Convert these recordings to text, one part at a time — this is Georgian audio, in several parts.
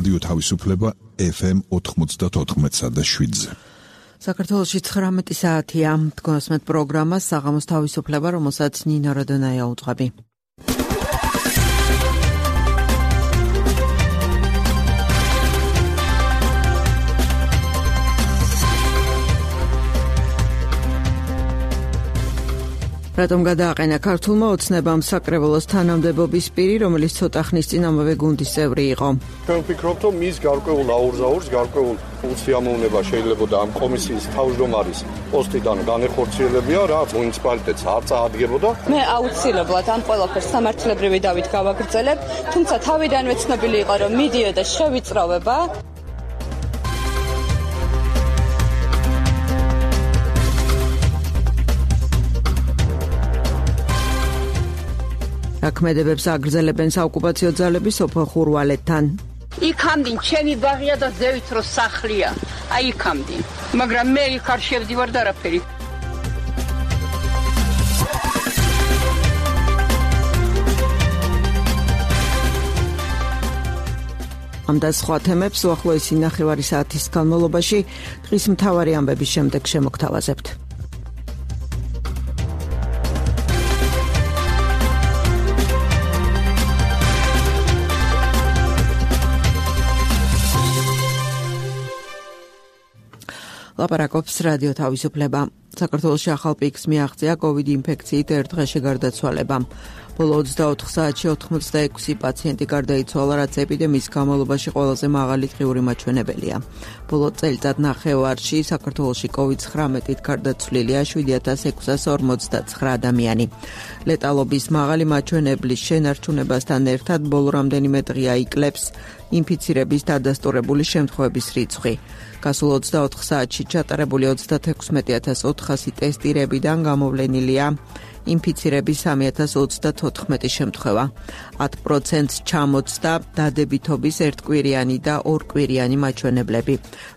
რადიო თავისუფლება FM 94.7-ზე. საქართველოში 19 საათია. გონსმეთ პროგრამა საღამოს თავისუფლება, რომელსაც ნინო როდონაია უძღვები. რატომ გადააყენა ქართულმა ოცნებამ საკრებულოს თანამდებობის პირი, რომელიც ცოტა ხნის წინ ამავე გუნდის წევრი იყო. ჩვენ ვფიქრობთ, რომ მის გარკვეულ აურზაურს, გარკვეულ უცდიამოვნება შეიძლება ამ კომისიის თავმჯდომარის პოსტიდან განეხორციელებია, რაც მუნიციპალიტეტს არ წაადგებოდა. მე აუცილებლად ამ ყველაფერს სამართლებრივი დავით გავაგრძელებ, თუმცა თავიდანვე ცნობილი იყო, რომ მიდიოდა შევიწროვება. აქმედებებს აგრძელებენ საოკუპაციო ძალები სოფელ ხურვალეთთან. იქამდინ ჩემი ბაღია და ზევით რო სახლია. აი იქამდინ. მაგრამ მე იქ არ შევდივარ და არაფერი. ამ და სხვა თემებს უახლოესი ნახევარი საათის განმავლობაში დღის მთავარი ამბების შემდეგ შემოგთავაზებთ. ლაპარაკობს რადიო თავისუფლება. საქართველოში ახალ პიკს მიაღწია COVID ინფექციით ერთ დღეში გარდაცვალება. ბოლო 24 საათში 86 პაციენტი გარდაიცვალა, რაც ეპიდემიის განმავლობაში ყველაზე მაღალი დღიური მაჩვენებელია. ბოლო წელიწადნახევარში საქართველოში COVID-19-ით გარდაცვლილია 7659 ადამიანი. ლეტალობის მაღალი მაჩვენებლის შენარჩუნებასთან ერთად ბოლო რამდენიმე დღეა იკლებს ინფიცირების დადასტურებული შემთხვევების რიცხვი. გასულ 24 საათში ჩატარებული 36400 ტესტირებიდან გამოვლენილია ინფიცირების 3034 შემთხვევა. 10%-ს ჩამოწდა დადებითობის ერთკვირიანი და ორკვირიანი მაჩვენებლები.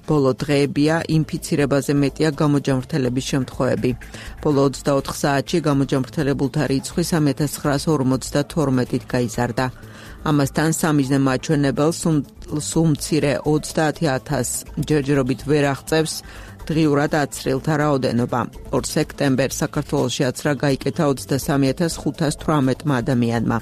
ბოლო დღეებია ინფიცირებაზე მეტია გამოჯამრთელების შემთხვევები. ბოლო 24 საათში გამოჯამრთელებულთა რიცხვი 3952-ით გაიზარდა. ამასთან სამიზნე მაჩვენებელს სულ მცირე 30000 ჯერჯერობით ვერ აღწევს დღიურად აცრილთა რაოდენობა. 2 სექტემბერს საქართველოში აცრა გაიკეთა 23518 ადამიანმა.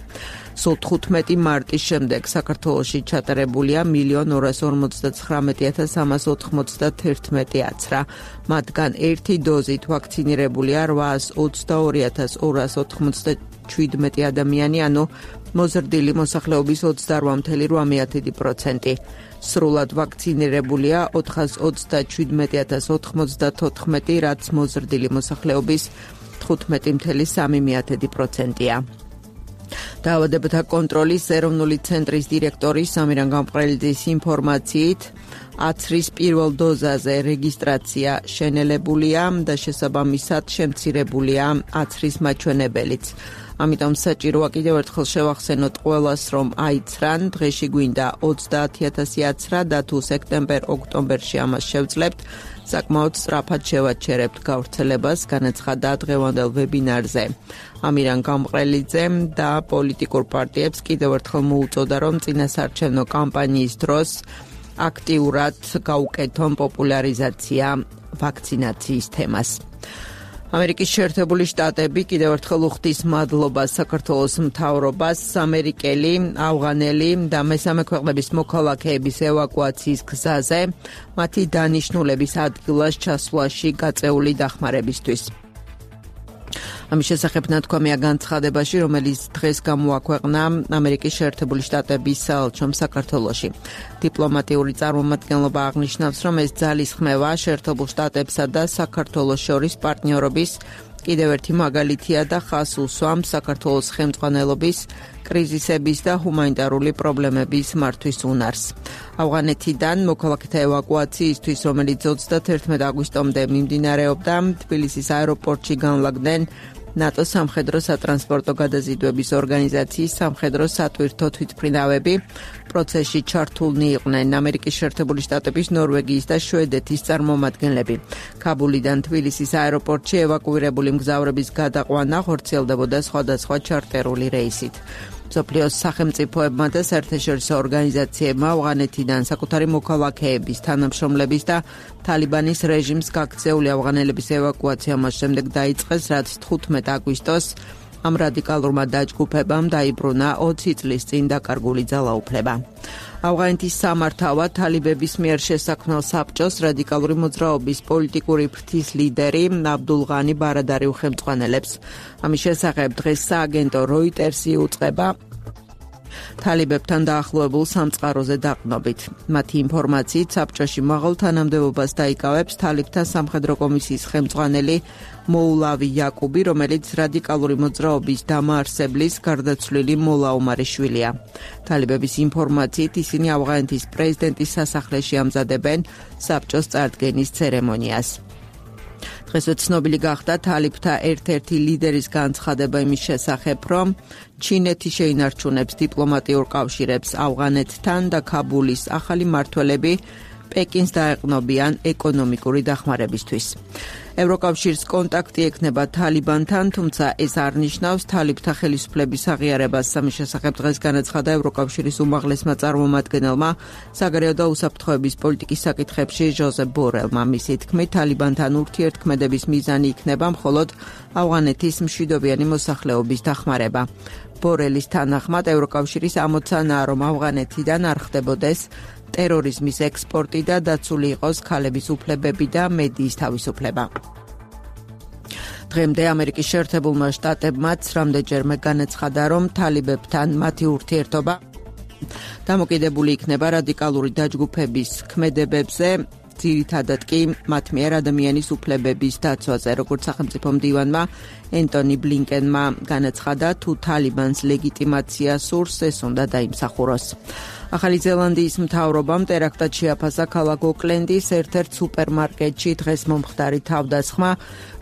სულ 15 მარტის შემდეგ საქართველოში ჩატარებულია 1,259,391 აცრა. მათგან ერთი დოზით ვაქცინირებულია 822297 ადამიანი, ანუ მოზრდილი მოსახლეობის 28,8%. სრულად ვაქცინირებულია 427,094, რაც მოზრდილი მოსახლეობის 15,3%-ია. დაავადებათა კონტროლის ეროვნული ცენტრის დირექტორის სამირან გამყრელიძის ინფორმაციით, აცრის პირველ დოზაზე რეგისტრაცია შენელებულია და შესაბამისად შემცირებულია აცრის მაჩვენებელიც. ამიტომ საჭიროა კიდევ ერთხელ შევახსენოთ ყველას, რომ აიცრან, დღეში გვინდა 30000 აცრა და თუ სექტემბერ-ოქტომბერში ამას შევძლებთ, საკმაოდ სწრაფად შევაჩერებთ გავრცელებას, განაცხადა დღევანდელ ვებინარზე. ამირან გამყრელიძემ და პოლიტიკურ პარტიებს კიდევ ერთხელ მოუწოდა, რომ წინასარჩევნო კამპანიის დროს აქტიურად გაუკეთონ პოპულარიზაცია ვაქცინაციის თემას. ამერიკის შეერთებული შტატები კიდევ ერთხელ უხდის მადლობას საქართველოს მთავრობას, ამერიკელი, ავღანელი და მესამე ქვეყნების მოქალაქეების ევაკუაციის გზაზე, მათი დანიშნულების ადგილას ჩასვლაში გაწეული დახმარებისთვის. ამის შესახებ ნათქვამია განცხადებაში, რომელიც დღეს გამოაქვეყნა ამერიკის შეერთებული შტატების საელჩომ საქართველოში. დიპლომატიური წარმომადგენლობა აღნიშნავს, რომ ეს ძალისხმევა შეერთებულ შტატებსა და საქართველოს შორის პარტნიორობის კიდევ ერთი მაგალითია და ხაზს უსვამს საქართველოს ხელმძღვანელობის კრიზისების და ჰუმანიტარული პრობლემების მართვის უნარს. ავღანეთიდან მოქალაქეთა ევაკუაციისთვის, რომელიც 31 აგვისტომდე მიმდინარეობდა, თბილისის აეროპორტში განლაგდნენ ნატოს სამხედრო სატრანსპორტო გადაზიდვების ორგანიზაციის სამხედრო სატვირთო თვითმფრინავები. პროცესში ჩართულნი იყვნენ ამერიკის შეერთებული შტატების, ნორვეგიის და შვედეთის წარმომადგენლები. ქაბულიდან თბილისის აეროპორტში ევაკუირებული მგზავრების გადაყვანა ხორციელდებოდა სხვადასხვა ჩარტერული რეისით. მსოფლიოს სახელმწიფოებმა და საერთაშორისო ორგანიზაციებმა ავღანეთიდან საკუთარი მოქალაქეების, თანამშრომლების და თალიბანის რეჟიმს გაქცეული ავღანელების ევაკუაცია მას შემდეგ დაიწყეს, რაც 15 აგვისტოს ამ რადიკალურმა დაჯგუფებამ დაიბრუნა 20 წლის წინ დაკარგული ძალაუფლება. ავღანეთის სამართავად თალიბების მიერ შესაქმნელ საბჭოს რადიკალური მოძრაობის პოლიტიკური ფრთის ლიდერი აბდულ ღანი ბარადარი უხელმძღვანელებს. ამის შესახებ დღეს სააგენტო როიტერსი უწყება თალიბებთან დაახლოებულ სამწყაროზე დაყრდნობით. მათი ინფორმაციით საბჭოში მაღალ თანამდებობას დაიკავებს თალიბთა სამხედრო კომისიის ხელმძღვანელი მოულავი იაკუბი, რომელიც რადიკალური მოძრაობის დამაარსებლის გარდაცვლილი მოლა ომარიშვილია. თალიბების ინფორმაციით ისინი ავღანეთის პრეზიდენტის სასახლეში ამზადებენ საბჭოს წარდგენის ცერემონიას. დღეს ცნობილი გახდა თალიბთა ერთ-ერთი ლიდერის განცხადება იმის შესახებ, რომ ჩინეთი შეინარჩუნებს დიპლომატიურ კავშირებს ავღანეთთან და ქაბულის ახალი მმართველები პეკინს დაეყნობიან ეკონომიკური დახმარებისთვის. ევროკავშირს კონტაქტი ექნება თალიბანთან, თუმცა ეს არ ნიშნავს თალიბთა ხელისუფლების აღიარებას. ამის შესახებ დღეს განაცხადა ევროკავშირის უმაღლესმა წარმომადგენელმა საგარეო და უსაფრთხოების პოლიტიკის საკითხებში ჟოზეფ ბორელმა. მისი თქმით, თალიბანთან ურთიერთქმედების მიზანი იქნება მხოლოდ ავღანეთის მშვიდობიანი მოსახლეობის დახმარება. ბორელის თანახმად ევროკავშირის ამოცანაა, რომ ავღანეთიდან არ ხდებოდეს ტერორიზმის ექსპორტი და დაცული იყოს ქალების უფლებები და მედიის თავისუფლება. დღემდე ამერიკის შეერთებულმა შტატებმაც რამდენჯერმე განაცხადა, რომ თალიბებთან მათი ურთიერთობა დამოკიდებული იქნება რადიკალური დაჯგუფების ქმედებებზე, ძირითადად კი მათ მიერ ადამიანის უფლებების დაცვაზე, როგორც სახელმწიფო მდივანმა ენტონი ბლინკენმა განაცხადა, თუ თალიბანს ლეგიტიმაცია სურს, ეს უნდა დაიმსახუროს. ახალი ზელანდიის მთავრობამ ტერაქტად შეაფასა ქალაქ ოკლენდის ერთ-ერთ სუპერმარკეტში დღეს მომხდარი თავდასხმა,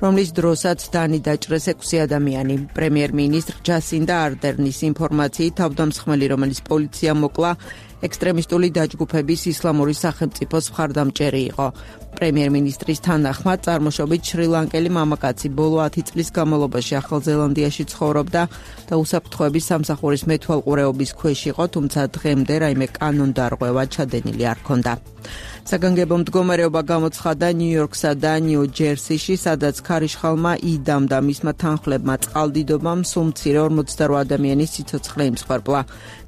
რომლის დროსაც დაჭრეს 6 ადამიანი. პრემიერ-მინისტრ ჯასინდა არდერნის ინფორმაციით თავდამსხმელი, რომელიც პოლიციამ მოკლა, ექსტრემისტული დაჯგუფების ისლამური სახელმწიფოს მხარდამჭერი იყო. პრემიერ-მინისტრის თანახმად წარმოშობით შრი-ლანკელი მამაკაცი ბოლო 10 წლის განმავლობაში ახალ ზელანდიაში ცხოვრობდა და უსაფრთხოების სამსახურის მეთვალყურეობის ქვეშ იყო, თუმცა დღემდე რაიმე კანონდარღვევა ჩადენილი არ ჰქონდა. საგანგებო მდგომარეობა გამოცხადდა ნიუ-იორკსა და ნიუ-ჯერსიში, სადაც ქარიშხალმა იდამ და მისმა თანხლებმა წყალდიდობამ სულ მცირე 48 ადამიანის სიცოცხლე იმსხვერპლა.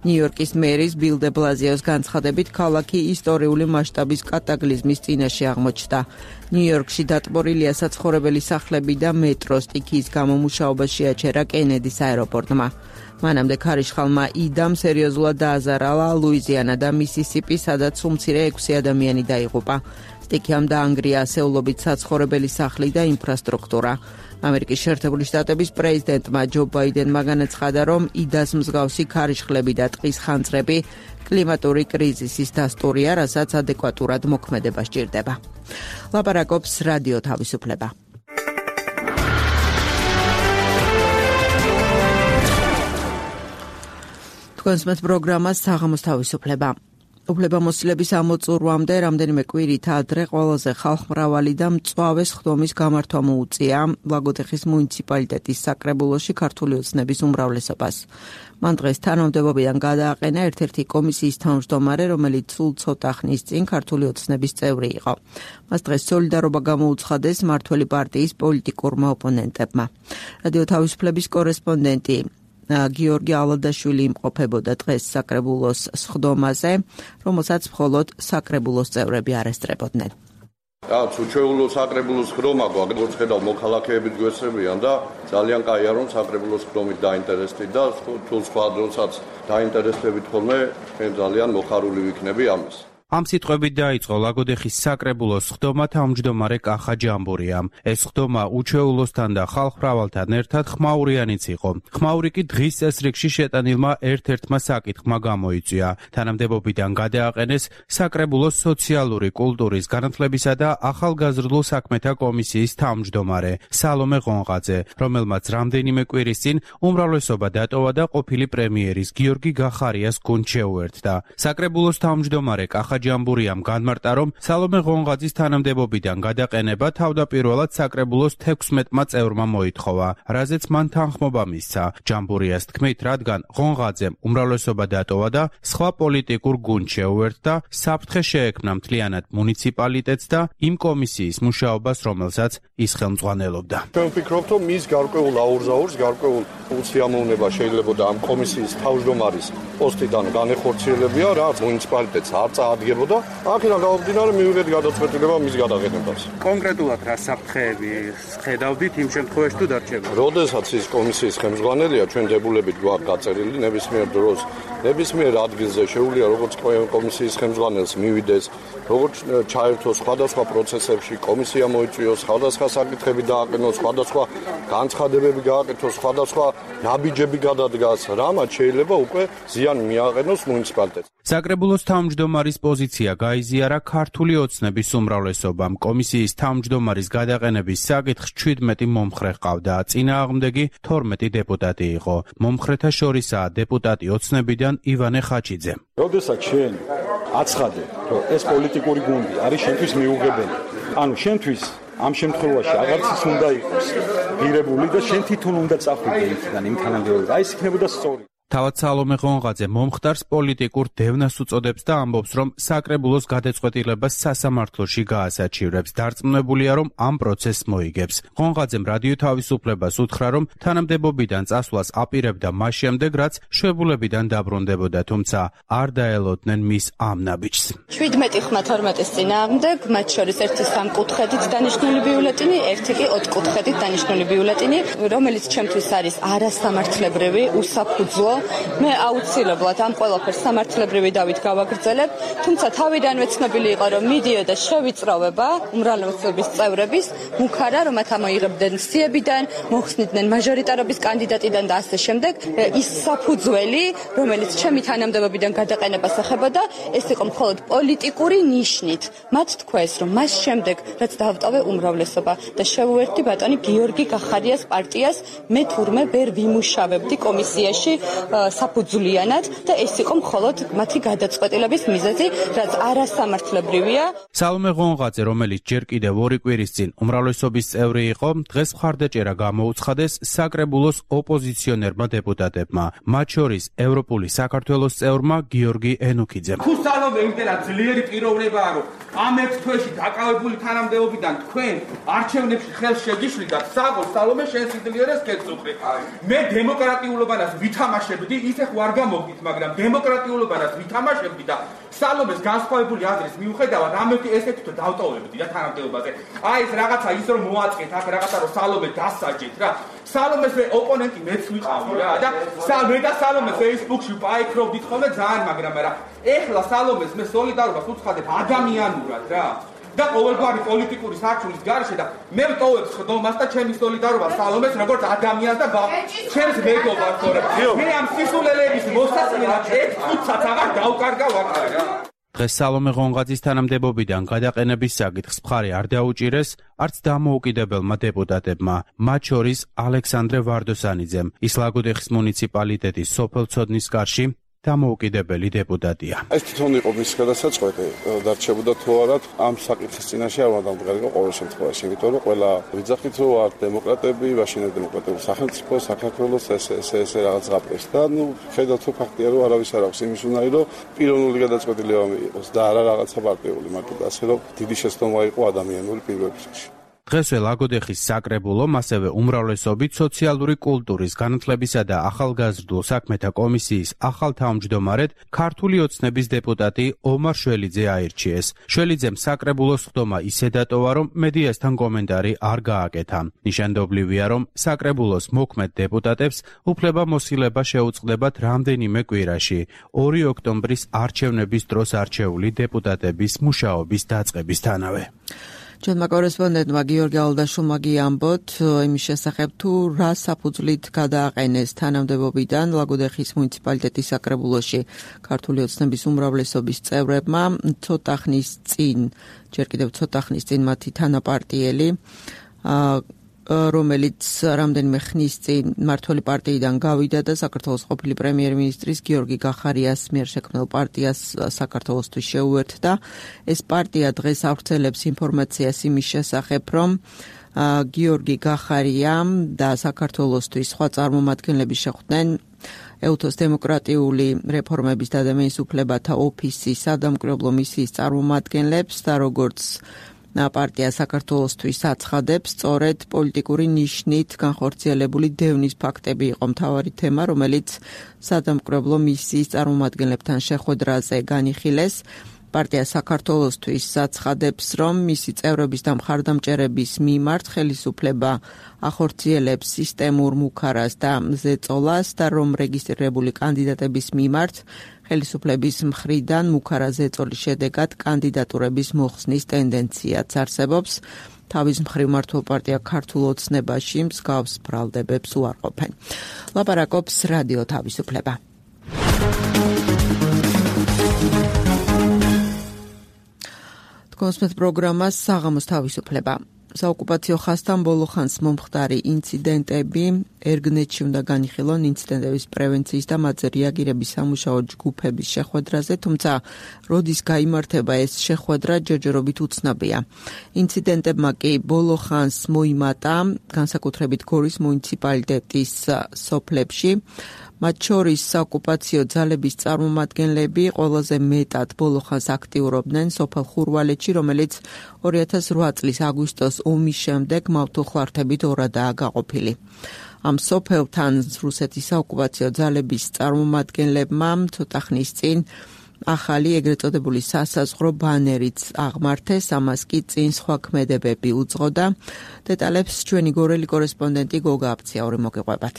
ნიუ-იორკის მერის ბილ დე ბლაზიოს განცხადებით, ქალაქი ისტორიული მასშტაბის კატაკლიზმის წინაშე აღმოჩნდა. ნიუ-იორკში დატბორილია საცხოვრებელი სახლები და მეტრო სტიქიის გამომუშავება შეაჩერა კენედის აეროპორტმა. მანამდე ქარიშხალმა იდამ სერიოზულად დააზარალა ლუიზიანა და მისისიპი, სადაც სულ მცირე 6 ადამიანი დაიღუპა. სტიქიამ დაანგრია ასეულობით საცხოვრებელი სახლი და ინფრასტრუქტურა. ამერიკის შეერთებული შტატების პრეზიდენტმა ჯო ბაიდენმა განაცხადა, რომ იდას მსგავსი ქარიშხლები და ტყის ხანძრები კლიმატური კრიზისის დასტურია, რასაც ადეკვატურად მოქმედება სჭირდება. ლაპარაკობს რადიო თავისუფლება. კონსმეთ პროგრამას საღამოს თავისუფლება. უფლებამოსილების ამოწურვამდე რამდენიმე კვირით ადრე ყველაზე ხალხმრავალი და მწვავე სხდომის გამართვა მოუწია ლაგოდეხის მუნიციპალიტეტის საკრებულოში ქართული ოცნების უმრავლესობას. მან დღეს თანამდებობიდან გადააყენა ერთ-ერთი კომისიის თავმჯდომარე, რომელიც სულ ცოტა ხნის წინ ქართული ოცნების წევრი იყო. მას დღეს სოლიდარობა გამოუცხადეს მმართველი პარტიის პოლიტიკურმა ოპონენტებმა. რადიო თავისუფლების კორესპონდენტი გიორგი ალადაშვილი იმყოფებოდა დღეს საკრებულოს სხდომაზე, რომელსაც მხოლოდ საკრებულოს წევრები არ ესწრებოდნენ. უჩვეულო საკრებულოს სხდომა გვაქვს, როგორც ხედავ, მოქალაქეებით გვესწრებიან და ძალიან კაია, რომ საკრებულოს სხდომით დაინტერესდით და თუ სხვა დროსაც დაინტერესდებით ხოლმე, ძალიან მოხარული ვიქნები ამის. ამ სიტყვებით დაიწყო ლაგოდეხის საკრებულოს სხდომა თავმჯდომარე კახა ჯამბურიამ. ეს სხდომა უჩვეულოსთან და ხალხმრავალთან ერთად ხმაურიანიც იყო. ხმაური კი დღის წესრიგში შეტანილმა ერთ-ერთმა საკითხმა გამოიწვია. თანამდებობიდან გადააყენეს საკრებულოს სოციალური კულტურის განათლებისა და ახალგაზრდულ საქმეთა კომისიის თავმჯდომარე სალომე ღონღაძე, რომელმაც რამდენიმე კვირის წინ უმრავლესობა დატოვა და ყოფილი პრემიერის გიორგი გახარიას გუნდ შეუერთდა. საკრებულოს თავმჯდომარე კახა ახაჯამბურიამ განმარტა, რომ სალომე ღონღაძის თანამდებობიდან გადაყენება თავდაპირველად საკრებულოს 16-მა წევრმა მოითხოვა, რაზეც მან თანხმობა მისცა. ჯამბურიას თქმით, რადგან ღონღაძემ უმრავლესობა დატოვა და სხვა პოლიტიკურ გუნდს შეუერთდა, საფრთხე შეექმნა მთლიანად მუნიციპალიტეტს და იმ კომისიის მუშაობას, რომელსაც ის ხელმძღვანელობდა. ჩვენ ვფიქრობთ, რომ მის გარკვეულ აურზაურს, გარკვეულ უცდამოვნება შეიძლება ამ კომისიის თავმჯდომარის პოსტიდან განეხორციელებია, რაც მუნიციპალიტეტს არ წაადგებოდა. აქედან გამომდინარე მივიღეთ გადაწყვეტილება მის გადაყენებას. კონკრეტულად რა საფრთხეები ხედავდით იმ შემთხვევაში თუ დარჩება? როდესაც ის კომისიის ხელმძღვანელია, ჩვენ დებულებით გვაქვს გაწერილი ნებისმიერ დროს, ნებისმიერ ადგილზე შეუძლია როგორც კომისიის ხელმძღვანელს მივიდეს, როგორც ჩაერთოს სხვადასხვა პროცესებში, კომისია მოიწვიოს, სხვადასხვა საკითხები დააყენოს, სხვადასხვა განცხადებები გააკეთოს, სხვადასხვა ნაბიჯები გადადგას, რამაც შეიძლება უკვე ზიანი მიაყენოს მუნიციპალიტეტს. საკრებულოს თავმჯდომარის პოზიცია გაიზიარა ქართული ოცნების უმრავლესობამ. კომისიის თავმჯდომარის გადაყენების საკითხს 17 მომხრე ჰყავდა, წინააღმდეგი 12 დეპუტატი იყო. მომხრეთა შორისაა დეპუტატი ოცნებიდან ივანე ხაჩიძე. როდესაც შენ აცხადე, რომ ეს პოლიტიკური გუნდი არის შენთვის მიუღებელი, ანუ შენთვის ამ შემთხვევაში აღარც ის უნდა იყოს ღირებული და შენ თვითონ უნდა წახვიდე იქიდან იმ თანამდებობაზე. აი ეს იქნებოდა სწორი. თავად სალომე ღონღაძე მომხდარს პოლიტიკურ დევნას უწოდებს და ამბობს, რომ საკრებულოს გადაწყვეტილებას სასამართლოში გაასაჩივრებს. დარწმუნებულია, რომ ამ პროცესს მოიგებს. ღონღაძემ რადიო თავისუფლებას უთხრა, რომ თანამდებობიდან წასვლას აპირებდა მას შემდეგ, რაც შვებულებიდან დაბრუნდებოდა, თუმცა არ დაელოდნენ მის ამ ნაბიჯს. 17 ხმა 12-ის წინააღმდეგ, მათ შორის ერთი 3 კუთხედით დანიშნული ბიულეტინი, ერთი კი 4 კუთხედით დანიშნული ბიულეტინი, რომელიც ჩემთვის არის არასამართლებრივი, უსაფუძვლო. მე აუცილებლად ამ ყველაფერს სამართლებრივი დავით გავაგრძელებ, თუმცა თავიდანვე ცნობილი იყო, რომ მიდიოდა შევიწროვება უმრავლესობის წევრების, მუქარა, რომ მათ ამოიღებდნენ სიებიდან, მოხსნიდნენ მაჟორიტარობის კანდიდატიდან და ასე შემდეგ. ის საფუძველი, რომელიც ჩემი თანამდებობიდან გადაყენებას ეხებოდა, ეს იყო მხოლოდ პოლიტიკური ნიშნით. მათ თქვეს, რომ მას შემდეგ, რაც დავტოვე უმრავლესობა და შევუერთდი ბატონი გიორგი გახარიას პარტიას, მე თურმე ვერ ვიმუშავებდი კომისიაში საფუძვლიანად და ეს იყო მხოლოდ მათი გადაწყვეტილების მიზეზი, რაც არასამართლებრივია. სალომე ღონღაძე, რომელიც ჯერ კიდევ 2 კვირის წინ უმრავლესობის წევრი იყო, დღეს მხარდაჭერა გამოუცხადეს საკრებულოს ოპოზიციონერმა დეპუტატებმა, მათ შორის ევროპული საქართველოს წევრმა გიორგი ენუქიძემ. თუ სალომე იმდენად ძლიერი პიროვნებაა, რომ ამ 1 თვეში დაკავებული თანამდებობიდან თქვენ არჩევნებში ხელს შეგიშლიდათ, საგო სალომე შენ სიძლიერეს გეწუხრი. მე დემოკრატიულობანას ვითამაშებდი, ისე ხო არ გამოგდით, მაგრამ დემოკრატიულობანას ვითამაშებდი და სალომეს განსხვავებული აზრის მიუხედავად ამეთი ესეთი თუ დავტოვებდი და თანამდებობაზე. აი ეს რაღაცა ის რომ მოაწყეთ, აქ რაღაცა რომ სალომე დასაჯეთ რა. სალომეს ოპონენტი მეც ვიყავი რა და მე და სალომე Facebook-ში პაიქრობდით ხოლმე ძალიან, მაგრამ ეხლა სალომეს მე სოლიდარობას უცხადებ ადამიანურად რა. და ყოველგვარი პოლიტიკური საქმის გარშე და მე ვტოვებ ხდომას და ჩემი სოლიდარობა სალომეს როგორც ადამიანს და ჩემს მეგობარს, თორემ მე ამ სისულელების მოსასმენად 1 წუთსაც აღარ დავკარგა ვაკა რა. დღეს სალომე ღონღაძის თანამდებობიდან გადაყენების საკითხს მხარი არ დაუჭირეს არც დამოუკიდებელმა დეპუტატებმა, მათ შორის ალექსანდრე ვარდოსანიძემ, ის ლაგოდეხის მუნიციპალიტეტის სოფელცოდნის კარში დამოუკიდებელი დეპუტატია. ეს თვითონ იყო მის გადასაწყვეტი, დარჩებოდა თუ არა ამ საკითხის წინაშე არ უნდა მდგარიყო ყოველ შემთხვევაში, იმიტომ რომ ყველა ვიძახით რომ არ დემოკრატები, მაშინ დემოკრატიული სახელმწიფო, საქართველოს ეს რაღაც გაფრეს და ხედავთ რომ ფაქტია რომ არავის არ აქვს იმის უნარი რომ პიროვნული გადაწყვეტილება მიიღოს და არა რაღაცა პარტიული, მაგრამ ასე რომ დიდი შეცდომა იყო ადამიანური პირველ რიგში. დღესვე ლაგოდეხის საკრებულომ, ასევე უმრავლესობით სოციალური კულტურის, განათლებისა და ახალგაზრდულ საქმეთა კომისიის ახალ თავმჯდომარედ ქართული ოცნების დეპუტატი ომარ შველიძე აირჩიეს. შველიძემ საკრებულოს ხდომა ისე დატოვა, რომ მედიასთან კომენტარი არ გააკეთა. ნიშანდობლივია, რომ საკრებულოს მოქმედ დეპუტატებს უფლებამოსილება შეუწყდებათ რამდენიმე კვირაში, 2 ოქტომბრის არჩევნების დროს არჩეული დეპუტატების მუშაობის დაწყებისთანავე. ჩვენმა კორესპონდენტმა გიორგი ალდაშულმა გიამბოთ იმის შესახებ, თუ რა საფუძვლით გადააყენეს თანამდებობიდან ლაგოდეხის მუნიციპალიტეტის საკრებულოში ქართული ოცნების უმრავლესობის წევრებმა ცოტა ხნის წინ მათი თანაპარტიელი რომელიც რამდენიმე ხნის წინ მმართველი პარტიიდან გავიდა და საქართველოს ყოფილი პრემიერ-მინისტრის გიორგი გახარიას მიერ შექმნილ პარტიას საქართველოსთვის შეუერთდა. ეს პარტია დღეს ავრცელებს ინფორმაციას იმის შესახებ, რომ გიორგი გახარიამ და საქართველოსთვის სხვა წარმომადგენლები შეხვდნენ ეუთოს დემოკრატიული რეფორმების და ადამიანის უფლებათა ოფისის სადამკვირვებლო მისიის წარმომადგენლებს და როგორც პარტია საქართველოსთვის აცხადებს, სწორედ პოლიტიკური ნიშნით განხორციელებული დევნის ფაქტები იყო მთავარი თემა, რომელიც სადამკვირვებლო მისიის წარმომადგენლებთან შეხვედრაზე განიხილეს. პარტია საქართველოსთვის აცხადებს, რომ მისი წევრების და მხარდამჭერების მიმართ ხელისუფლება ახორციელებს სისტემურ მუქარას და ზეწოლას და რომ რეგისტრირებული კანდიდატების მიმართ ხელისუფლების მხრიდან მუქარა ზეწოლის შედეგად კანდიდატურების მოხსნის ტენდენციაც არსებობს. თავის მხრივ მმართველ პარტია ქართულ ოცნებაში მსგავს ბრალდებებს უარყოფენ. ლაპარაკობს რადიო თავისუფლება. კონსმეთ პროგრამას საღამოს თავისუფლება. საოკუპაციო ხაზთან ბოლო ხანს მომხდარი ინციდენტები ერგნეთში უნდა განიხილონ ინციდენტების პრევენციის და მათზე რეაგირების სამუშაო ჯგუფების შეხვედრაზე, თუმცა როდის გაიმართება ეს შეხვედრა ჯერჯერობით უცნობია. ინციდენტებმა კი ბოლო ხანს მოიმატა განსაკუთრებით გორის მუნიციპალიტეტის სოფლებში. მათ შორის საოკუპაციო ძალების წარმომადგენლები ყველაზე მეტად ბოლო ხანს აქტიურობდნენ სოფელ ხურვალეთში, რომელიც 2008 წლის აგვისტოს ომის შემდეგ მავთუხლართებით ორადაა გაყოფილი. ამ სოფელთან რუსეთის საოკუპაციო ძალების წარმომადგენლებმა ცოტა ხნის წინ ახალი ეგრეთ წოდებული სასაზღვრო ბანერიც აღმართეს, ამას კი წინ სხვა ქმედებები უძღოდა. დეტალებს ჩვენი გორელი კორესპონდენტი გოგა აფციაური მოგიყვებათ.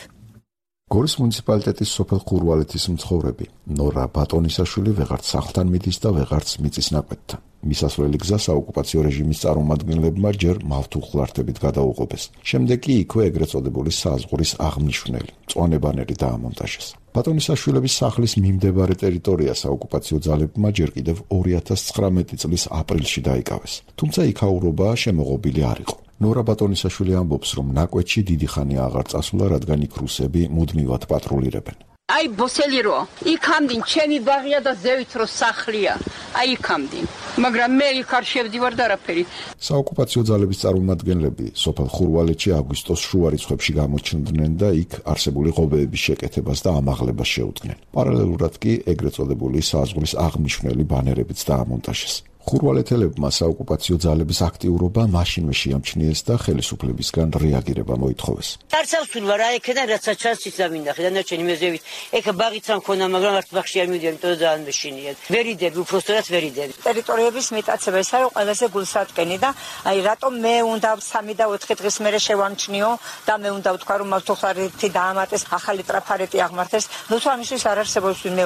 გორის მუნიციპალიტეტის სოფელ ხურვალეთის მცხოვრები ნორა ბატონისაშვილი ვეღარც სახლთან მიდის და ვეღარც მიწის ნაკვეთთან. მისასვლელი გზა საოკუპაციო რეჟიმის წარმომადგენლებმა ჯერ მავთუხლართებით გადაუღობეს. შემდეგ კი იქვე ეგრეთ წოდებული საზღვრის აღმნიშვნელი მწვანე ბანერი დაამონტაჟეს. ბატონისაშვილების სახლის მიმდებარე ტერიტორია საოკუპაციო ძალებმა ჯერ კიდევ 2019 წლის აპრილში დაიკავეს. თუმცა იქაურობა შემოღობილი არ იყო. ნორა ბატონისაშვილი ამბობს, რომ ნაკვეთში დიდი ხანია აღარ წასულა, რადგან იქ რუსები მუდმივად პატრულირებენ. აი ბოსელი რო იქამდინ ჩემი ბაღია და ზევით რო სახლია. აი იქამდინ. მაგრამ მე იქ არ შევდივარ და არაფერი. საოკუპაციო ძალების წარმომადგენლები სოფელ ხურვალეთში აგვისტოს შუა რიცხვებში გამოჩნდნენ და იქ არსებული ღობეების შეკეთებას და ამაღლებას შეუდგნენ. პარალელურად კი ეგრეთ წოდებული საზღვრის აღმნიშვნელი ბანერებიც დაამონტაჟეს. ხურვალეთელებმა საოკუპაციო ძალების აქტიურობა მაშინვე შეამჩნიეს და ხელისუფლებისგან რეაგირება მოითხოვეს. Тарცავსულვარ რა ეკენა რაცა ჩასის დამინახე და ნაჩენი მეზევით. ეხა ბაღიც ამ ქონა, მაგრამ არც ბაღში არ მივიდიან, იმიტომ და დაანმეშინიათ. ვერიდები, უბრალოდ ვერიდები. ტერიტორიების მიტაცება ეს არის ყველაზე გულსატკენი და აი რატომ მე უნდა 3 და 4 დღის მერე შევამჩნიო და მე უნდა ვთქვა რომ მავთუხლართი დაამატეს, ახალი ტრაფარეტი აღმართეს. ნუ თუ ამისთვის არ არსებობს ვინმე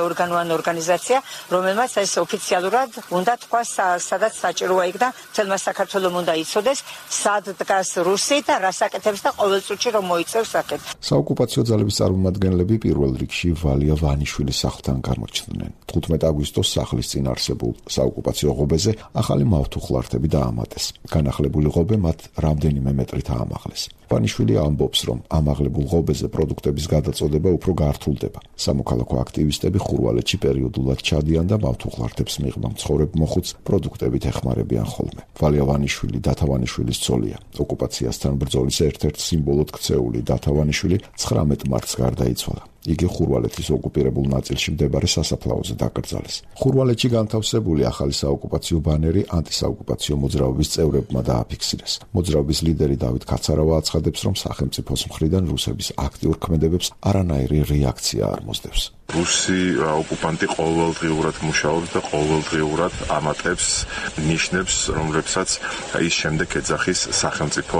ორგანიზაცია, რომელმაც ეს ოფიციალურად უნდა თქვას სადაც საჭიროა იქ და თელმა საქართველოს უნდა იცოდეს სად დგას რუსი და რას აკეთებს და ყოველ წუთში რომ მოიწევს საკეთ. საოკუპაციო ძალების წარმომადგენლები პირველ რიგში ვალია ვანიშვილის სახლთან გამოჩნდნენ. 15 აგვისტოს სახლის წინ არსებულ საოკუპაციო ღობეზე ახალი მავთუხლართები დაამატეს. განახლებული ღობე მათ რამდენიმე მეტრით აამაღლეს. ვანიშვილი ამბობს, რომ ამაღლებულ ღობეზე პროდუქტების გადაწოდება უფრო გართულდება. სამოქალაქო აქტივისტები ხურვალეთში პერიოდულად ჩადიან და მავთუხლართებს მიღმა მცხოვრებ მოხუც პროდუქტებით ეხმარებიან ხოლმე. ვალია ვანიშვილი დათავანიშვილის ცოლია. ოკუპაციასთან ბრძოლის ერთ-ერთ სიმბოლოდ ქცეული დათავანიშვილი 19 მარტს გარდაიცვალა. იგი ხურვალეთის ოკუპირებულ ნაწილში მდებარე სასაფლაოზე დაკრძალეს. ხურვალეთში განთავსებული ახალი საოკუპაციო ბანერი ანტისაოკუპაციო მოძრაობის წევრებმა დააფიქსირეს. მოძრაობის ლიდერი დავით კაცარავა აცხადებს, რომ სახელმწიფოს მხრიდან რუსების აქტიურ ქმედებებს არანაირი რეაქცია არ მოსდევს. რუსი ოკუპანტი ყოველდღიურად მუშაობს და ყოველდღიურად ამატებს ნიშნებს, რომლებსაც ის შემდეგ ეძახის სახელმწიფო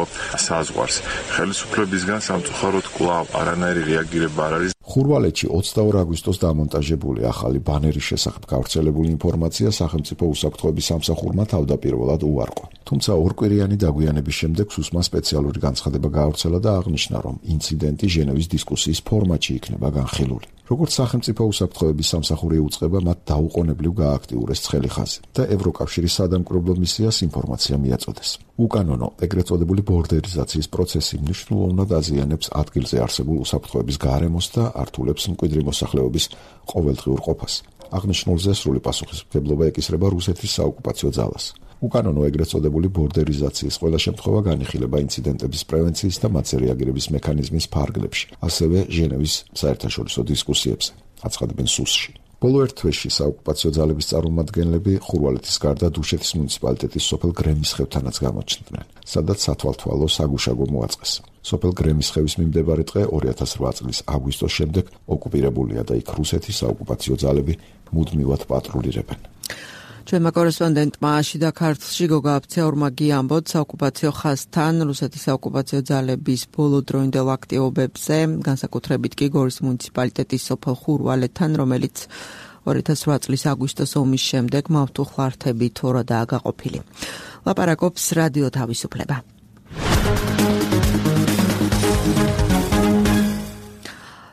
საზღვარს. ხელისუფლებისგან სამწუხაროდ კვლავ არანაირი რეაგირება არ არის. ხურვალეთში 22 აგვისტოს დამონტაჟებული ახალი ბანერის შესახებ გავრცელებული ინფორმაცია სახელმწიფო უსაფრთხოების სამსახურმა თავდაპირველად უარყო. თუმცა ორკვირიანი დაგვიანების შემდეგ სუსმა სპეციალური განცხადება გაავრცელა და აღნიშნა, რომ ინციდენტი ჟენევის დისკუსიის ფორმატში იქნება განხილული. როგორც სახელმწიფო უსაფრთხოების სამსახური უწყება, მათ დაუყოვნებლივ გააქტიურეს ცხელი ხაზი და ევროკავშირის სადამკვირვებლო მისიას ინფორმაცია მიაწოდეს. უკანონო, ეგრეთ წოდებული ბორდერიზაციის პროცესი მნიშვნელოვნად აზიანებს ადგილზე არსებულ უსაფრთხოების გარემოს და ართულებს მკვიდრი მოსახლეობის ყოველდღიურ ყოფას. აღნიშნულზე სრული პასუხისმგებლობა ეკისრება რუსეთის საოკუპაციო ძალას. უკანონო ეგრეთ წოდებული ბორდერიზაციის ყველა შემთხვევა განიხილება ინციდენტების პრევენციის და მათზე რეაგირების მექანიზმის ფარგლებში, ასევე ჟენევის საერთაშორისო დისკუსიებზე, აცხადებენ სუსში. ბოლო ერთ თვეში საოკუპაციო ძალების წარმომადგენლები ხურვალეთის გარდა დუშეთის მუნიციპალიტეტის სოფელ გრემისხევთანაც გამოჩნდნენ, სადაც სათვალთვალო საგუშაგო მოაწყეს. სოფელ გრემისხევის მიმდებარე ტყე 2008 წლის აგვისტოს შემდეგ ოკუპირებულია და იქ რუსეთის საოკუპაციო ძალები მუდმივად პატრულირებენ. ჩვენმა კორესპონდენტმა შიდა ქართლში გოგა აფცეორმა გიამბოთ საოკუპაციო ხაზთან რუსეთის საოკუპაციო ძალების ბოლოდროინდელ აქტივობებზე, განსაკუთრებით კი გორის მუნიციპალიტეტის სოფელ ხურვალეთთან, რომელიც 2008 წლის აგვისტოს ომის შემდეგ მავთუხლართებით ორადაა გაყოფილი. ლაპარაკობს რადიო თავისუფლება.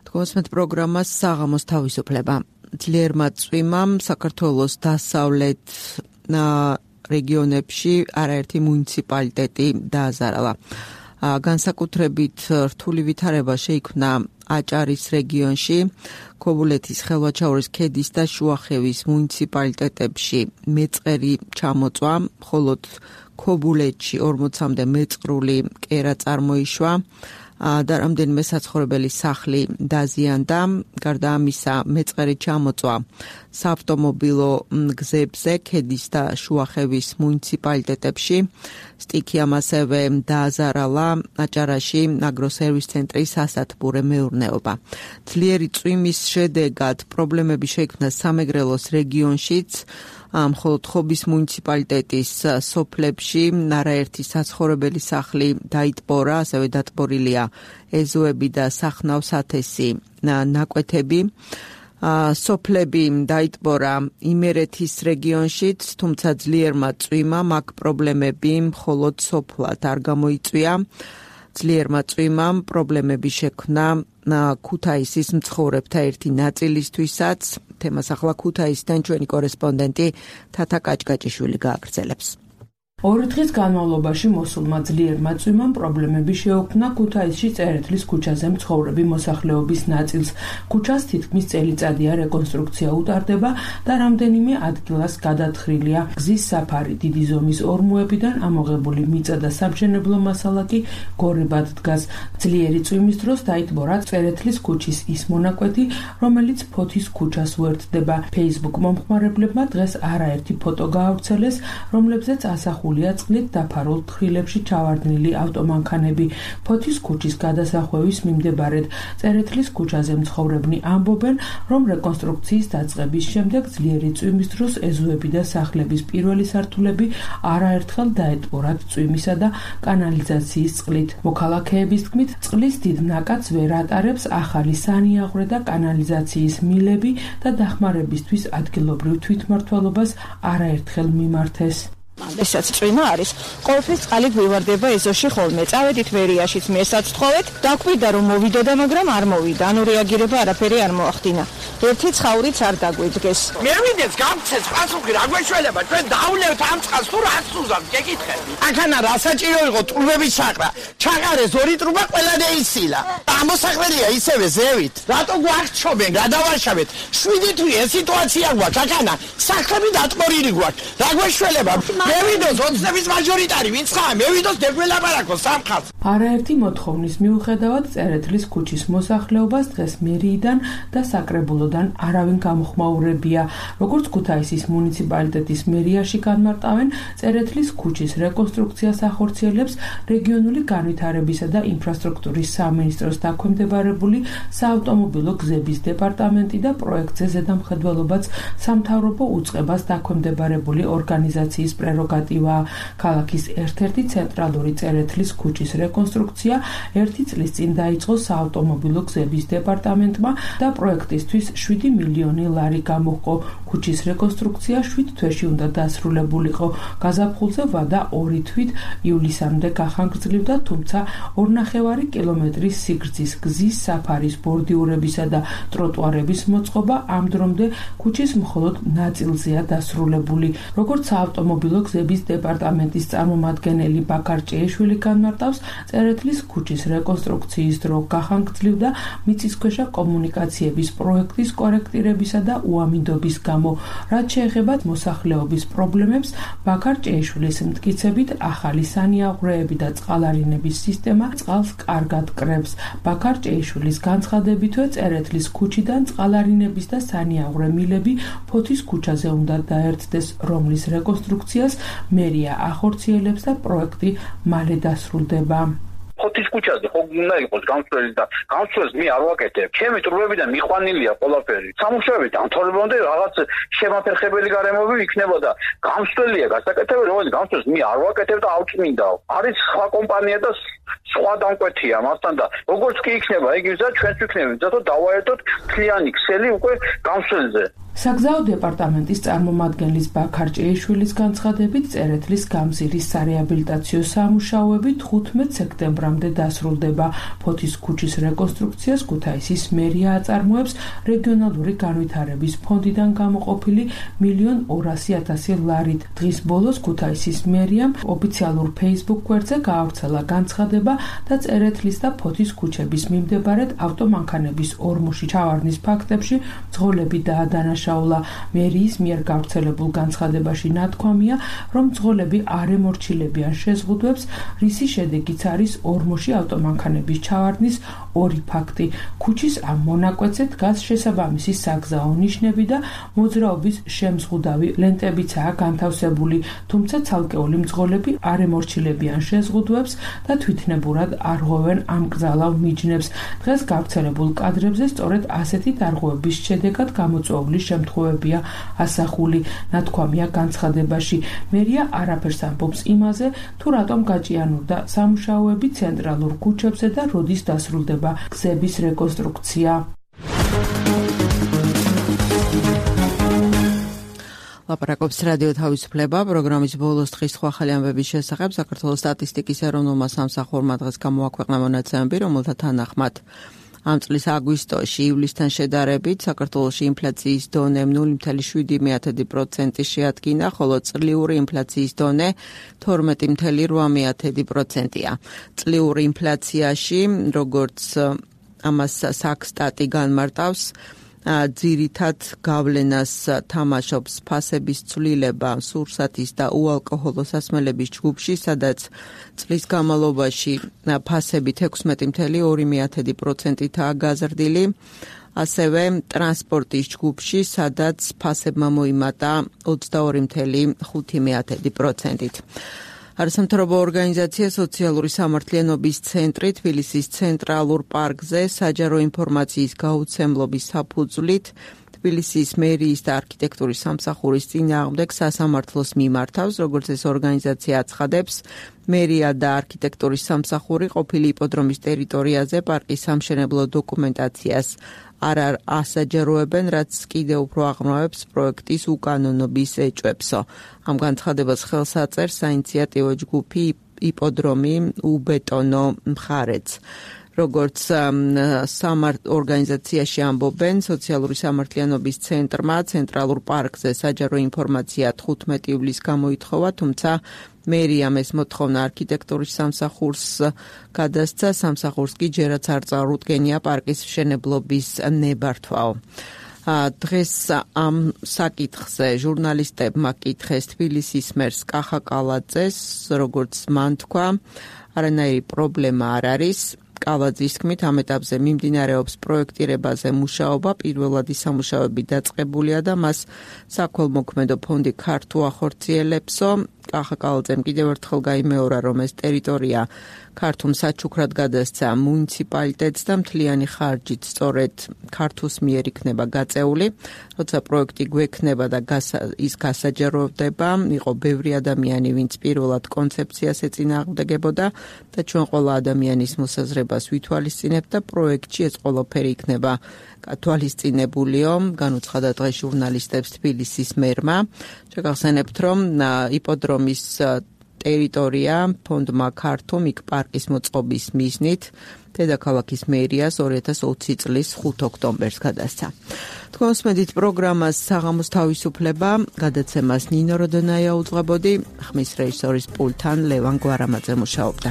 თქვენს პროგრამას საღამოს თავისუფლება. ძლიერმა წვიმამ საქართველოს დასავლეთ რეგიონებში არაერთი მუნიციპალიტეტი დააზარალა. განსაკუთრებით რთული ვითარება შეიქმნა აჭარის რეგიონში, ქობულეთის, ხელვაჩაურის ქედის და შუახევის მუნიციპალიტეტებში მეწყერი ჩამოწვა, მხოლოდ ქობულეთში 40-მდე მეწყრული კერა წარმოიშვა და რამდენიმე საცხოვრებელი სახლი დაზიანდა. გარდა ამისა, მეწყერი ჩამოწვა საავტომობილო გზებზე ქედის და შუახევის მუნიციპალიტეტებში. სტიქიამ ასევე დააზარალა აჭარაში აგროსერვის ცენტრის სასათბურე მეურნეობა. ძლიერი წვიმის შედეგად პრობლემები შეიქმნა სამეგრელოს რეგიონშიც. მხოლოდ ხობის მუნიციპალიტეტის სოფლებში არაერთი საცხოვრებელი სახლი დაიტბორა, ასევე დატბორილია ეზოები და სახნავ-სათესი ნაკვეთები. სოფლები დაიტბორა იმერეთის რეგიონშიც, თუმცა ძლიერმა წვიმამ აქ პრობლემები მხოლოდ სოფლად არ გამოიწვია. ძლიერმა წვიმამ პრობლემები შექმნა ქუთაისის მცხოვრებთა ერთი ნაწილისთვისაც. თემას ახლა ქუთაისიდან ჩვენი კორესპონდენტი თათა კაჭკაჭიშვილი გააგრძელებს. 2 დღის განმავლობაში მოსულმა ძლიერმა წვიმამ პრობლემები შეუქმნა ქუთაისში წერეთლის ქუჩაზე მცხოვრები მოსახლეობის ნაწილს. ქუჩას თითქმის წელიწადია რეკონსტრუქცია უტარდება და რამდენიმე ადგილას გადათხრილია გზის საფარი. დიდი ზომის ორმოებიდან ამოღებული მიწა და სამშენებლო მასალა კი გორებად დგას. ძლიერი წვიმის დროს დაიტბორა წერეთლის ქუჩის ის მონაკვეთი, რომელიც ფოთის ქუჩას უერთდება. Facebook მომხმარებლებმა დღეს არაერთი ფოტო გაავრცელეს, რომლებზეც ასახულია წყლით დაფარულ თხრილებში ჩავარდნილი ავტომანქანები. ფოთის ქუჩის გადასახვევის მიმდებარედ წერეთლის ქუჩაზე მცხოვრებნი ამბობენ, რომ რეკონსტრუქციის დაწყების შემდეგ ძლიერი წვიმის დროს ეზოები და სახლების პირველი სართულები არაერთხელ დაეტბორათ წვიმისა და კანალიზაციის წყლით. მოქალაქეების თქმით, წყლის დიდ ნაკადს ვერ ატარებს ახალი სანიაღვრე და კანალიზაციის მილები და დახმარებისთვის ადგილობრივ თვითმმართველობას არაერთხელ მიმართეს. ესაც წვიმა არის. ყოველთვის წყალი გვივარდება ეზოში ხოლმე. წავედით ვერიაშიც მესაც თხოვეთ, დაგვიდა რომ მოვიდოდა, მაგრამ არ მოვიდა. ანუ რეაგირება არაფერი არ მოახდინა. ერთი ცხაურიც არ დაგვიდგეს. მევიდეს გამცეს პასუხი რა გვეშველება, ჩვენ დაავლევთ ამ წყალს თუ რას უზავთ, გეკითხეთ. აქანა რა საჭირო იყო ტრუბების საყრა. ჩაყარეს 2 ტრუბა ყველა დაისილა. ამოსახველია ისევე ზევით. რატო გვახჩობენ, რა დავაშავეთ? 7 თვე ეს სიტუაცია გვაქვს აქანა. სახლები დატბორილი გვაქვს. რა გვეშველება? მევიდოს ოცნების მაჟორიტარი ვინც ხარ? მევიდოს დეგველაპარაკო სამხატს. არაერთი მოთხოვნის მიუხედავად წერეთლის ქუჩის მოსახლეობას დღეს მერიიდან და საკრებულოდან არავინ გამოხმაურებია. როგორც ქუთაისის მუნიციპალიტეტის მერიაში განმარტავენ, წერეთლის ქუჩის რეკონსტრუქციას ახორციელებს რეგიონული განვითარებისა და ინფრასტრუქტურის სამინისტროს დაქვემდებარებული საავტომობილო გზების დეპარტამენტი და პროექტზე ზედამხედველობაც სამთავრობო უწყებას დაქვემდებარებული ორგანიზაციის პრეროგატივაა. ქალაქის ერთ-ერთი ცენტრალური წერეთლის ქუჩის რეკონსტრუქცია 1 წლის წინ დაიწყო საავტომობილო გზების დეპარტამენტმა და პროექტისთვის 7 მილიონი ლარი გამოჰყო. ქუჩის რეკონსტრუქცია 7 თვეში უნდა დასრულებულიყო. გაზაფხულზე ვადა 2 თვით ივლისამდე გახანგრძლივდა, თუმცა 2,5 კილომეტრის სიგრძე ღერძის გზის, საფარის, ბორდიურებისა და ტროტუარების მოწყობა ამ დრომდე ქუჩის მხოლოდ ნაწილზეა დასრულებული. როგორც საავტომობილო გზების დეპარტამენტის წარმომადგენელი ბაქარ ჭეიშვილი განმარტავს, წერეთლის ქუჩის რეკონსტრუქციის დრო გახანგრძლივდა მიწისქვეშა კომუნიკაციების პროექტის კორექტირებისა და უამინდობის გამო. რაც შეეხება მოსახლეობის პრობლემებს, ბაქარ ჭეიშვილის მტკიცებით, ახალი სანიაღვრეები და წყალარინების სისტემა წყალს კარგად კრებს. ბაქარ ჭეიშვილის განცხადებითვე, წერეთლის ქუჩიდან წყალარინების და სანიაღვრე მილები ფოთის ქუჩაზე უნდა დაერთდეს, რომლის რეკონსტრუქციას მერია ახორციელებს და პროექტი მალე დასრულდება. ფოთის ქუჩაზე ხო უნდა იყოს გამსვლელი და გამსვლელს მე არ ვაკეთებ. ჩემი ტრუბებიდან მიყვანილია ყველაფერი. სამუშაოები დამთავრებამდე რაღაც შემაფერხებელი გარემოები იქნება და გამსვლელია გასაკეთებელი, რომელიც გამსვლელს მე არ ვაკეთებ და ავწმინდაო. არის სხვა კომპანია და სხვა დამკვეთია მასთან და როგორც კი იქნება იგი ვიზა ჩვენც ვიქნებით, zato დავაერთოთ მთლიანი ქსელი უკვე გამსვლელზე. საგზაო დეპარტამენტის წარმომადგენლის ბაქარ ჭეიშვილის განცხადებით, წერეთლის გამზირის სარეაბილიტაციო სამუშაოები 15 სექტემბრამდე დასრულდება. ფოთის ქუჩის რეკონსტრუქციას ქუთაისის მერია აწარმოებს რეგიონალური განვითარების ფონდიდან გამოყოფილი 1.200.000 ლარით. დღის ბოლოს ქუთაისის მერიამ ოფიციალურ Facebook გვერდზე გაავრცელა განცხადება და წერეთლის და ფოთის ქუჩების მიმდებარედ ავტომანქანების ორმოში ჩავარდნის ფაქტებში მძღოლები დაადანაშაულა. მერიის მიერ გავრცელებულ განცხადებაში ნათქვამია, რომ მძღოლები არ ემორჩილებიან შეზღუდვებს, რისი შედეგიც არის ორმოში ავტომანქანების ჩავარდნის 2 ფაქტი. ქუჩის ამ მონაკვეთზე დგას შესაბამისი საგზაო ნიშნები და მოძრაობის შემზღუდავი ლენტებიცაა განთავსებული, თუმცა ცალკეული მძღოლები არ ემორჩილებიან შეზღუდვებს და თვითნებურად არ ღვევენ ამკრძალავ მიჯნებს. დღეს გავრცელებულ კადრებზე სწორედ ასეთი დარღვევების შედეგად გამოწვეული შემთხვევებია ასახული. ნათქვამია განცხადებაში. მერია არაფერს ამბობს იმაზე, თუ რატომ გაჭიანურდა სამუშაოები ცენტრალურ ქუჩებზე და როდის დასრულდება გზების რეკონსტრუქცია. ლაპარაკობს რადიო თავისუფლება, პროგრამის ბოლოს დღის სხვა ახალი ამბების შესახებ საქართველოს სტატისტიკის ეროვნულმა სამსახურმა დღეს გამოაქვეყნა მონაცემები, რომელთა თანახმად ამ წლის აგვისტოში ივლისთან შედარებით საქართველოში ინფლაციის დონე 0.7% შეადგინა, ხოლო წლიური ინფლაციის დონე 12.8%-ია. წლიური ინფლაციაში, როგორც ამას საქსტატი განმარტავს, ძირითად გავლენას თამაშობს ფასების ცვლილება სურსათის და უალკოჰოლო სასმელების ჯგუფში, სადაც წლის განმავლობაში ფასები 16.2%-აა გაზრდილი, ასევე ტრანსპორტის ჯგუფში, სადაც ფასებმა მოიმატა 22.5%-ით. არასამთავრობო ორგანიზაცია სოციალური სამართლიანობის ცენტრი თბილისის ცენტრალურ პარკზე საჯარო ინფორმაციის გაუცემლობის საფუძვლით თბილისის მერიის და არქიტექტურის სამსახურის წინააღმდეგ სასამართლოს მიმართავს, როგორც ეს ორგანიზაცია აცხადებს, მერია და არქიტექტურის სამსახური ყოფილი იპოდრომის ტერიტორიაზე პარკის სამშენებლო დოკუმენტაციას არ ასაჯაროებენ, რაც კიდევ უფრო აღრმავებს პროექტის უკანონობის ეჭვებსო. ამ განცხადებას ხელს აწერს საინიციატივო ჯგუფი იპოდრომი უბეტონო მხარეც. როგორც ორგანიზაციაში ამბობენ, სოციალური სამართლიანობის ცენტრმა ცენტრალურ პარკზე საჯარო ინფორმაცია 15 ივლისს გამოითხოვა, თუმცა მერიამ ეს მოთხოვნა არქიტექტურის სამსახურს გადასცა, სამსახურს კი ჯერაც არ წარუდგენია პარკის მშენებლობის ნებართვაო. დღეს ამ საკითხზე ჟურნალისტებმა კითხეს თბილისის მერს კახა კალაძეს, როგორც მან თქვა, არანაირი პრობლემა არ არის. კალაძის თქმით, ამ ეტაპზე მიმდინარეობს პროექტირებაზე მუშაობა, პირველადი სამუშაოები დაწყებულია და მას საქველმოქმედო ფონდი ქართუ ახორციელებსო. კახა კალაძემ კიდევ ერთხელ გაიმეორა, რომ ეს ტერიტორია ქართუმ საჩუქრად გადასცა მუნიციპალიტეტს და მთლიანი ხარჯით სწორედ ქართუს მიერ იქნება გაწეული. როცა პროექტი გვექნება და ის გასაჯაროვდება, იყო ბევრი ადამიანი, ვინც პირველად კონცეფციას ეწინააღმდეგებოდა და ჩვენ ყველა ადამიანის მოსაზრებას ვითვალისწინებთ და პროექტში ეს ყველაფერი იქნება გათვალისწინებულიო, განუცხადა დღეს ჟურნალისტებს თბილისის მერმა. შეგახსენებთ, რომ იპოდრომის ტერიტორია ფონდმა ქართულ იქ პარკის მოწყობის მიზნით დედაქალაქის მერიას 2020 წლის 5 ოქტომბერს გადასცა. თქვენსმედით პროგრამას საღამოს თავისუფლება გადაცემას ნინო როდონაია უძღვებოდი, ხმის რეჟისორის პულტთან ლევან გვარამაძე მუშაობდა.